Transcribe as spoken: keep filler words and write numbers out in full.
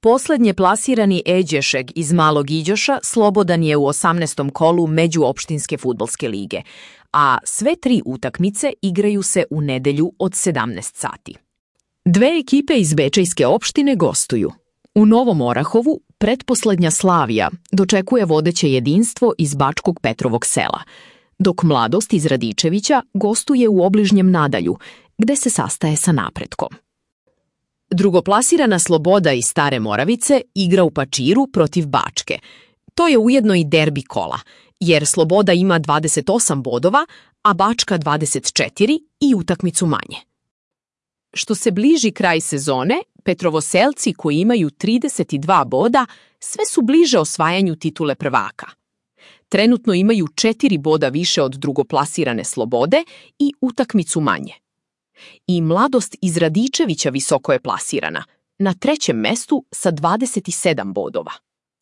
Poslednje plasirani Eđešeg iz Malog Iđoša slobodan je u osamnaestom kolu Međuopštinske fudbalske lige, a sve tri utakmice igraju se u nedelju od sedamnaest sati. Dve ekipe iz Bečejske opštine gostuju. U Novom Orahovu pretposlednja Slavija dočekuje vodeće jedinstvo iz Bačkog Petrovog sela, dok Mladost iz Radičevića gostuje u obližnjem Nadalju, gde se sastaje sa Napretkom. Drugoplasirana Sloboda iz Stare Moravice igra u Pačiru protiv Bačke. To je ujedno i derbi kola, jer Sloboda ima dvadeset osam bodova, a Bačka dvadeset četiri i utakmicu manje. Što se bliži kraj sezone, Petrovoselci koji imaju trideset dva boda sve su bliže osvajanju titule prvaka. Trenutno imaju četiri boda više od drugoplasirane Slobode i utakmicu manje. I Mladost iz Radičevića visoko je plasirana, na trećem mestu sa dvadeset sedam bodova.